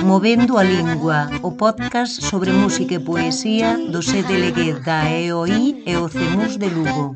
Movendo a Lingua, o podcast sobre música e poesía do CDLG da EOI e o CEMUS de Lugo.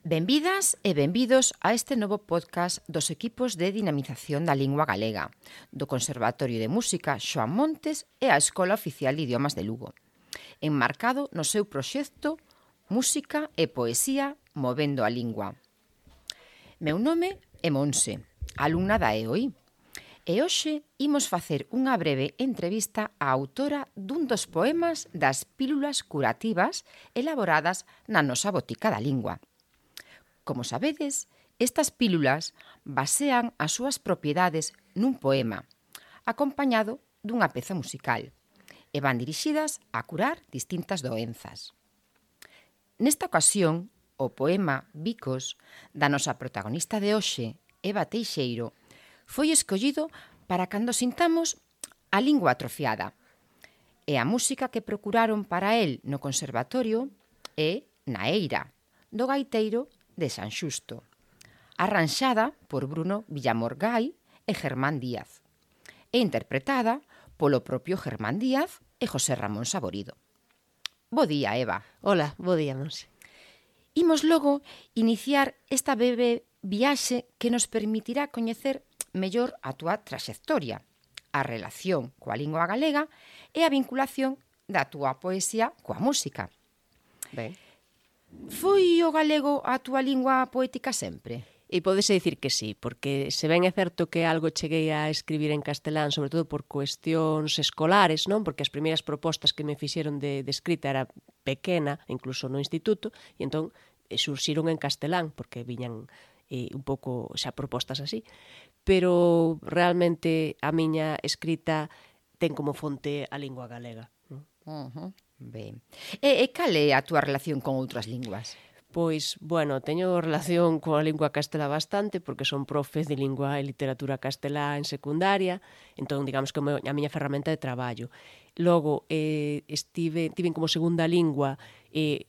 Benvidas e benvidos a este novo podcast dos equipos de dinamización da lingua galega, do Conservatorio de Música Xoán Montes e a Escola Oficial de Idiomas de Lugo, enmarcado no seu proxecto Música e Poesía Movendo a Lingua. Meu nome é Monse, alumna da EOI, e hoxe imos facer unha breve entrevista á autora dun dos poemas das pílulas curativas elaboradas na nosa botica da lingua. Como sabedes, estas pílulas basean as súas propiedades nun poema, acompañado dunha peza musical, e van dirixidas a curar distintas doenzas. Nesta ocasión, o poema Bicos, da nosa protagonista de hoxe, Eva Teixeiro, foi escollido para cando sintamos a lingua atrofiada. E a música que procuraron para el no conservatorio é Na Eira, do gaiteiro de San Xusto, arranxada por Bruno Villamorgai e Germán Díaz, e interpretada polo propio Germán Díaz e José Ramón Saborido. Bo día, Eva. Hola, bo día, Monse. Imos logo iniciar esta breve viaxe que nos permitirá coñecer mellor a túa traxectoria, a relación coa lingua galega e a vinculación da túa poesía coa música. Ben. Foi o galego a túa lingua poética sempre? E podese dicir que sí, porque se ben é certo que algo cheguei a escribir en castelán, sobre todo por cuestións escolares, non? Porque as primeiras propostas que me fixeron de escrita era pequena, incluso no instituto, e entón surxiron en castelán, porque viñan un pouco xa propostas así. Pero realmente a miña escrita ten como fonte a lingua galega. Ben. E cal é a túa relación con outras linguas? Pois, bueno, teño relación coa lingua castelá bastante, porque son profe de lingua e literatura castelá en secundaria, entón, digamos que a miña ferramenta de traballo. Logo, tiven como segunda lingua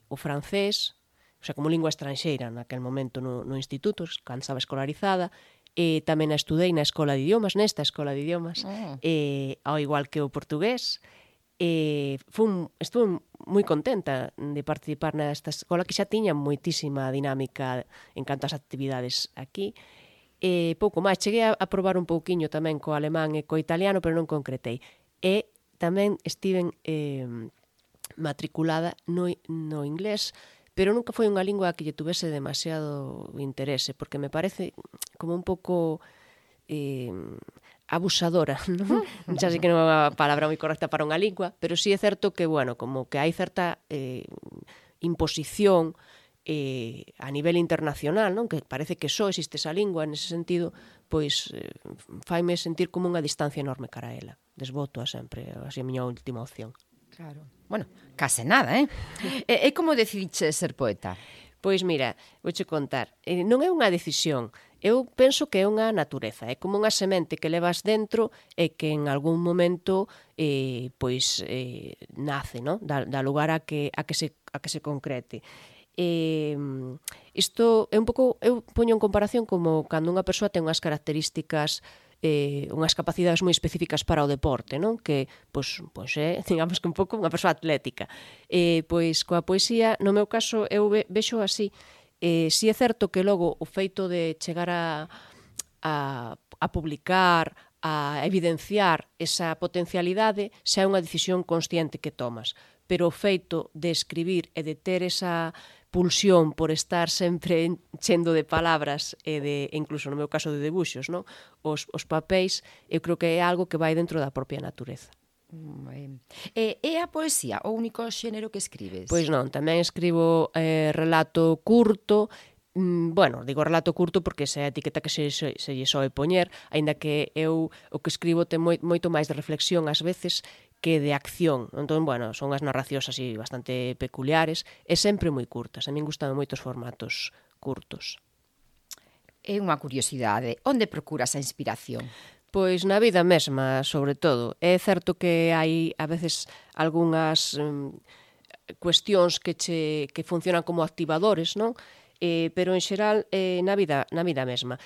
o francés, o sea, como lingua estranxeira naquel momento no instituto, cando estaba escolarizada, e tamén a estudei na escola de idiomas, nesta escola de idiomas, ao igual que o portugués. Estuve moi contenta de participar nesta escola que xa tiña moitísima dinámica en canto ás actividades aquí. Pouco máis, cheguei a probar un pouquiño tamén co alemán e co italiano, pero non concretei. E tamén estiven matriculada no inglés, pero nunca foi unha lingua que lle tuvese demasiado interese, porque me parece como un pouco abusadora, non? Xa sei que non é unha palabra moi correcta para unha lingua, pero sí é certo que, bueno, como que hai certa imposición a nivel internacional, non? Que parece que só existe esa lingua, nese sentido, pois faime sentir como unha distancia enorme cara a ela. Desboto a sempre, así a miña última opción. Claro. Bueno, case nada, E como decidiche ser poeta? Pois mira, vouche contar, non é unha decisión, eu penso que é unha natureza, é como unha semente que levas dentro e que en algún momento nace, non? Dá lugar a que se concrete. Isto é un pouco, eu poño en comparación como cando unha persoa ten unhas características unhas capacidades moi específicas para o deporte, non? Que, pois é, digamos que un pouco unha persoa atlética. Pois coa poesía, no meu caso, eu vexo así. Si é certo que logo o feito de chegar a publicar, a evidenciar esa potencialidade, xa é unha decisión consciente que tomas. Pero o feito de escribir e de ter esa pulsión por estar sempre enchendo de palabras e incluso no meu caso de debuxos, non? Os papéis, eu creo que é algo que vai dentro da propia natureza. É a poesía o único xénero que escribes? Pois non, tamén escribo relato curto. Bueno, digo relato curto porque esa é a etiqueta que se lle soe poñer, aínda que eu o que escribo ten moito máis de reflexión ás veces que de acción. Entón, bueno, son as narracións así bastante peculiares e sempre moi curtas. A min gustan moitos formatos curtos. É unha curiosidade. Onde procuras a inspiración? Pois na vida mesma, sobre todo. É certo que hai a veces algunhas cuestións que funcionan como activadores, non? pero en xeral na vida mesma.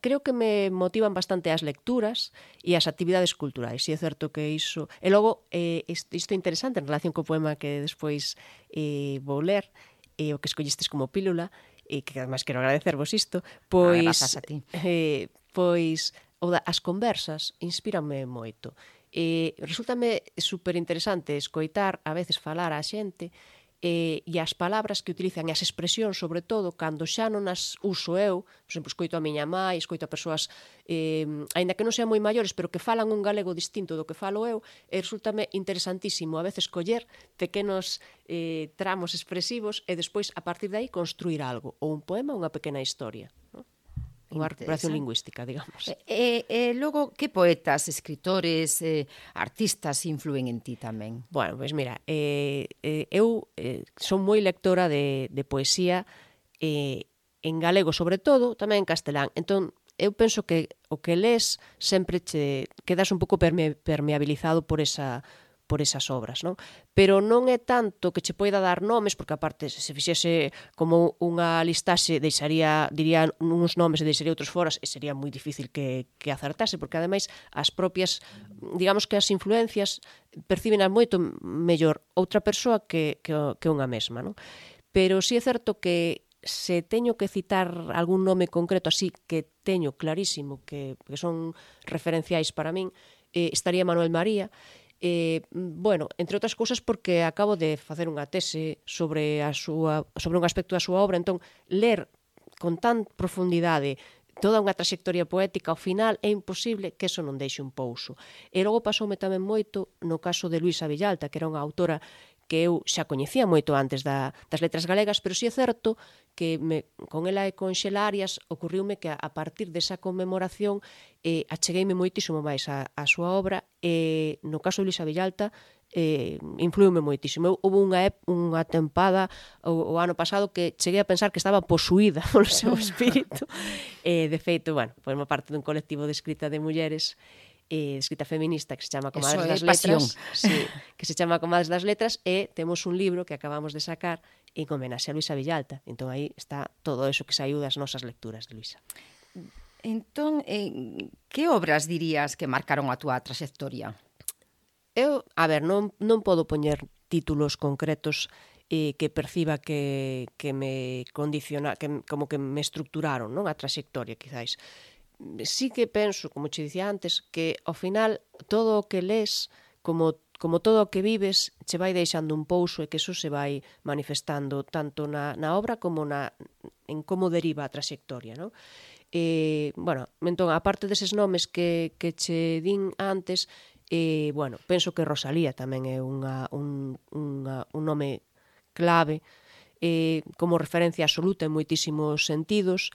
Creo que me motivan bastante as lecturas e as actividades culturais, e é certo que iso... E logo, isto é interesante en relación co poema que despois vou ler, o que escollistes como pílula, e que además quero agradecervos isto, pois... Grazas a ti. Pois as conversas inspíranme moito. Resultame super interesante escoitar, a veces falar á xente, e as palabras que utilizan, e as expresións, sobre todo, cando xa non as uso eu, por exemplo, escoito a miña mai, escoito a persoas, aínda que non sean moi maiores, pero que falan un galego distinto do que falo eu, e resultame interesantísimo a veces coller pequenos tramos expresivos e despois, a partir de aí, construir algo, ou un poema ou unha pequena historia, non? Unha recuperación lingüística, digamos. Logo, que poetas, escritores, artistas influen en ti tamén? Bueno, pois mira, eu son moi lectora de poesía en galego, sobre todo, tamén en castelán. Entón, eu penso que o que lees sempre che quedas un pouco permeabilizado por esas obras, non? Pero non é tanto que che poida dar nomes, porque aparte se fixese como unha listaxe diría uns nomes e deixaría outros foras, e sería moi difícil que acertase, porque ademais as propias, digamos que as influencias percíbenas moito mellor outra persoa que unha mesma, non? Pero si é certo que se teño que citar algún nome concreto así que teño clarísimo que son referenciais para min, estaría Manuel María. Bueno, entre outras cousas porque acabo de facer unha tese sobre un aspecto da súa obra, entón ler con tan profundidade toda unha trayectoria poética ao final é imposible que eso non deixe un pouso. E logo pasoume tamén moito no caso de Luisa Villalta, que era unha autora que eu xa coñecía moito antes das letras galegas, pero si é certo que con ela e con Xelarias ocorriume que a partir desa conmemoración achegueime moitísimo máis a súa obra, e no caso de Luisa Villalta influiume moitísimo. Houve unha tempada o ano pasado que cheguei a pensar que estaba posuída polo seu espírito. De feito, bueno, formo parte dun colectivo de escrita de mulleres, escrita feminista, que se chama Comadres das Letras, sí, que se chama Comadres das Letras, e temos un libro que acabamos de sacar en homenaxe a Luisa Villalta. Entón aí está todo eso que saiu das nosas lecturas de Luisa. Entón, que obras dirías que marcaron a túa traxectoria? Eu, a ver, non podo poñer títulos concretos que perciba que me condiciona, que como que me estructuraron, non, a traxectoria, quizáis. Sí que penso, como che dicía antes, que ao final todo o que lees, como todo o que vives, che vai deixando un pouso e que eso se vai manifestando tanto na obra como en como deriva a traxectoria, non? Bueno, entón, aparte deses nomes que che din antes, bueno, penso que Rosalía tamén é un nome clave, como referencia absoluta en moitísimos sentidos.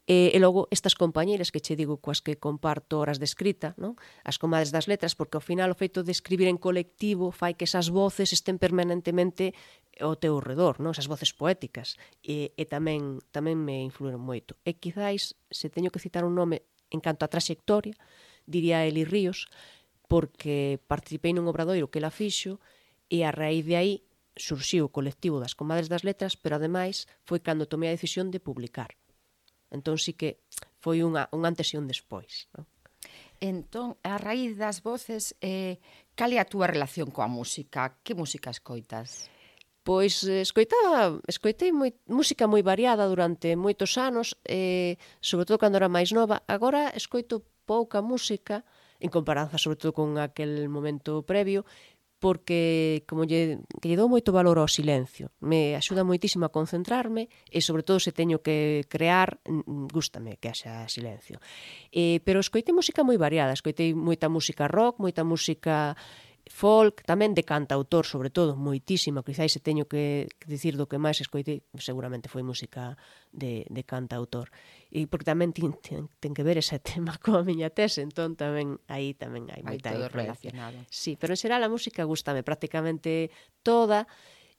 E logo estas compañeiras que che digo coas que comparto horas de escrita, non? As Comadres das Letras, porque ao final o feito de escribir en colectivo fai que esas voces estén permanentemente ao teu redor, non? Esas voces poéticas, e tamén me influíron moito. E quizáis, se teño que citar un nome en canto a traxectoria, diría Eli Ríos, porque participei nun obradoiro que ela fixo, e a raíz de aí surxiu o colectivo das Comadres das Letras, pero ademais foi cando tomei a decisión de publicar. Entón sí que foi un antes e un despois, non? Entón, a raíz das voces, cal é a túa relación coa música? Que música escoitas? Pois escoitei música moi variada durante moitos anos, sobre todo cando era máis nova. Agora escoito pouca música, en comparanza sobre todo con aquel momento previo, porque que lle dou moito valor ao silencio. Me axuda moitísimo a concentrarme e, sobre todo, se teño que crear, gústame que haxa silencio. Pero escoitei música moi variada. Escoitei moita música rock, moita música folk, tamén de cantautor, sobre todo, moitísima. Quizáis se teño que dicir do que máis escoitei, seguramente foi música de cantautor. E porque tamén ten que ver ese tema coa miña tese, entón tamén hai moita influencia. Sí, pero en xeral a música gústame prácticamente toda,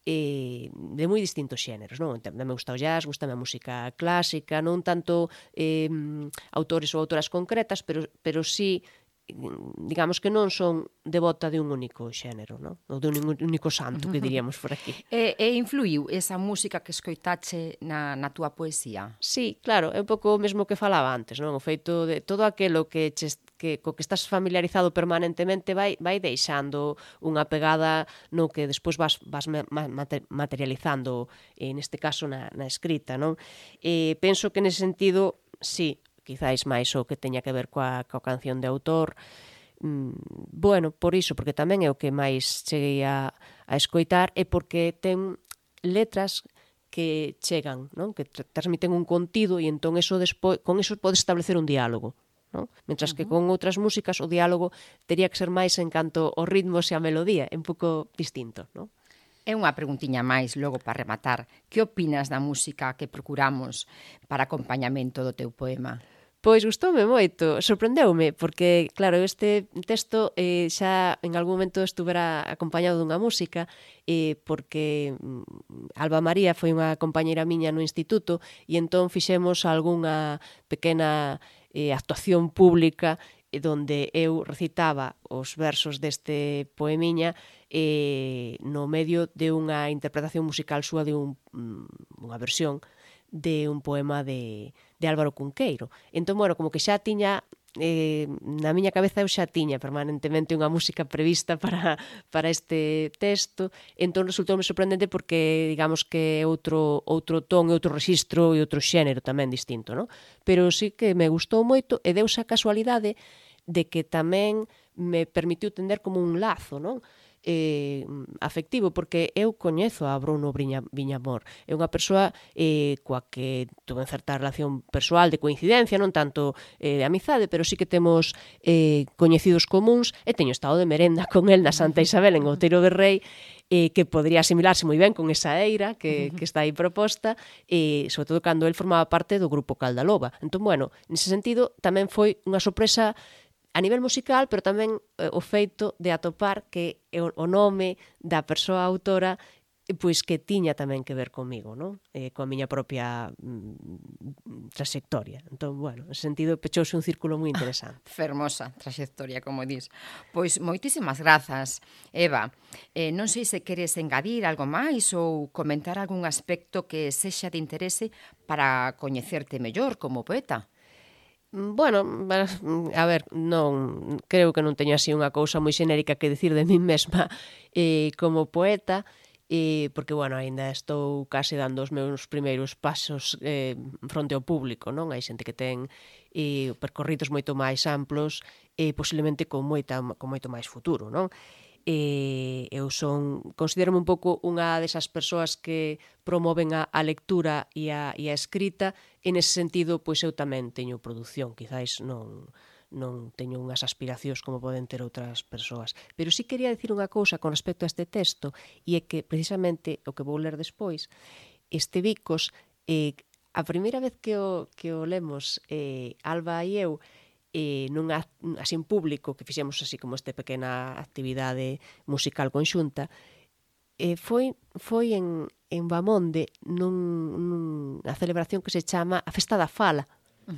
de moi distintos xéneros, non? Tamén me gusta o jazz, gústame a música clásica, non tanto autores ou autoras concretas, pero sí digamos que non son devota de un único xénero, non? Ou de un único santo, que diríamos por aquí. E influiu esa música que escoitache na túa poesía? Sí, claro, é un pouco o mesmo que falaba antes, non? O feito de todo aquilo co que estás familiarizado permanentemente vai deixando unha pegada no que despois vas materializando, neste caso na escrita, non? Penso que nese sentido, sí, quizáis máis o que teña que ver coa canción de autor, bueno, por iso, porque tamén é o que máis cheguei a escoitar e porque ten letras que chegan, non? Que transmiten un contido e entón con eso podes establecer un diálogo, non? Mentras que con outras músicas o diálogo tería que ser máis en canto aos ritmos e a melodía, é un pouco distinto, non? É unha preguntiña máis, logo para rematar. Que opinas da música que procuramos para acompañamento do teu poema? Pois gustoume moito, sorprendeume, porque, claro, este texto xa en algún momento estuvera acompañado dunha música, porque Alba María foi unha compañeira miña no instituto e entón fixemos algunha pequena actuación pública donde eu recitaba os versos deste poemiña no medio de unha interpretación musical súa de unha versión de un poema de Álvaro Cunqueiro. Entón, bueno, como que xa tiña na miña cabeza eu xa tiña permanentemente unha música prevista para este texto, entón resultoume sorprendente porque digamos que é outro ton, outro rexistro e outro xénero tamén distinto, non? Pero sí que me gustou moito e deuse a casualidade de que tamén me permitiu tender como un lazo, non? Afectivo, porque eu coñezo a Bruno Viñamor, é unha persoa coa que tuve certa relación persoal de coincidencia, non tanto de amizade, pero sí que temos coñecidos comuns e teño estado de merenda con el na Santa Isabel en Outeiro de Rei, que podría asimilarse moi ben con esa eira que está aí proposta, sobre todo cando el formaba parte do grupo Caldaloba. Entón, bueno, nese sentido tamén foi unha sorpresa a nivel musical, pero tamén o feito de atopar que o nome da persoa autora pois que tiña tamén que ver comigo, non? Coa miña propia trayectoria. Entón, bueno, en ese sentido, pechouse un círculo moi interesante. Fermosa trayectoria, como dis. Pois moitísimas grazas, Eva. Non sei se queres engadir algo máis ou comentar algún aspecto que sexa de interese para coñecerte mellor como poeta. Bueno, a ver, non creo que non teño así unha cousa moi xenérica que dicir de min mesma como poeta, porque, bueno, aínda estou case dando os meus primeiros pasos fronte ao público, non? Hai xente que ten percorridos moito máis amplos e posiblemente con moito máis futuro, non? Eu considero un pouco unha desas persoas que promoven a lectura e a escrita, e nese sentido, pois eu tamén teño produción, quizáis non teño unhas aspiracións como poden ter outras persoas. Pero sí quería dicir unha cousa con respecto a este texto, e é que precisamente o que vou ler despois, este Bicos, a primeira vez que o lemos Alba e eu, así en público, que fixemos así como esta pequena actividade musical conxunta, foi en Bamonde nunha celebración que se chama a Festa da Fala.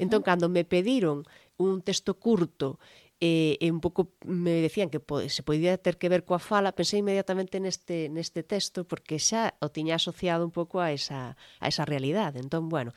Entón, cando me pediron un texto curto e un pouco me decían que se podía ter que ver coa fala, pensei inmediatamente neste texto porque xa o tiña asociado un pouco a esa realidade. Entón, bueno,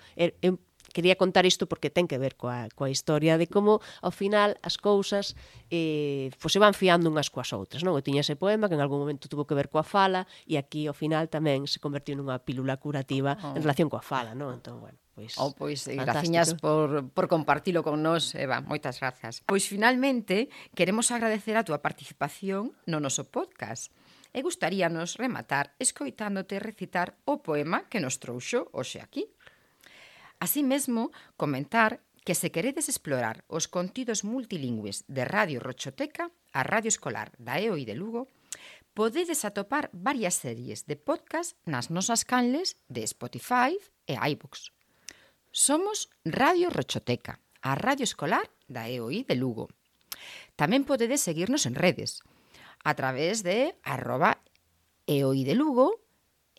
quería contar isto porque ten que ver coa historia de como, ao final, as cousas se van fiando unhas coas outras, non? Eu tiña ese poema que en algún momento tuvo que ver coa fala e aquí, ao final, tamén se convertiu nunha pílula curativa en relación coa fala, non? Entón, bueno, pois graciñas por compartilo con nós, Eva, moitas grazas. Pois finalmente queremos agradecer a túa participación no noso podcast e gustaríanos rematar escoitándote recitar o poema que nos trouxo hoxe aquí. Así mesmo, comentar que se queredes explorar os contidos multilingües de Radio Rochoteca, a Radio Escolar da EOI de Lugo, podedes atopar varias series de podcast nas nosas canles de Spotify e iVoox. Somos Radio Rochoteca, a Radio Escolar da EOI de Lugo. Tamén podedes seguirnos en redes, a través de @EOI de Lugo,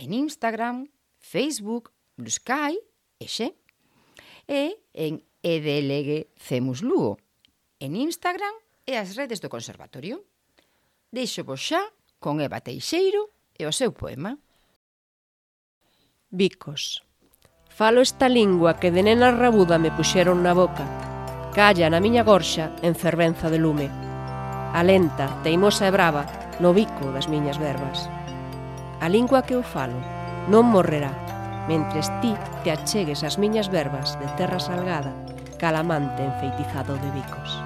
en Instagram, Facebook, Blue Sky e Xe. E en EDLG Cemus Lugo, en Instagram e as redes do Conservatorio. Deixo vos xa con Eva Teixeiro e o seu poema. Bicos. Falo esta lingua que de nena rabuda me puxeron na boca. Calla na miña gorxa en fervenza de lume. Alenta, teimosa e brava, no bico das miñas verbas. A lingua que eu falo non morrerá, mentres ti te achegues ás miñas verbas de terra salgada, calamante enfeitizado de bicos.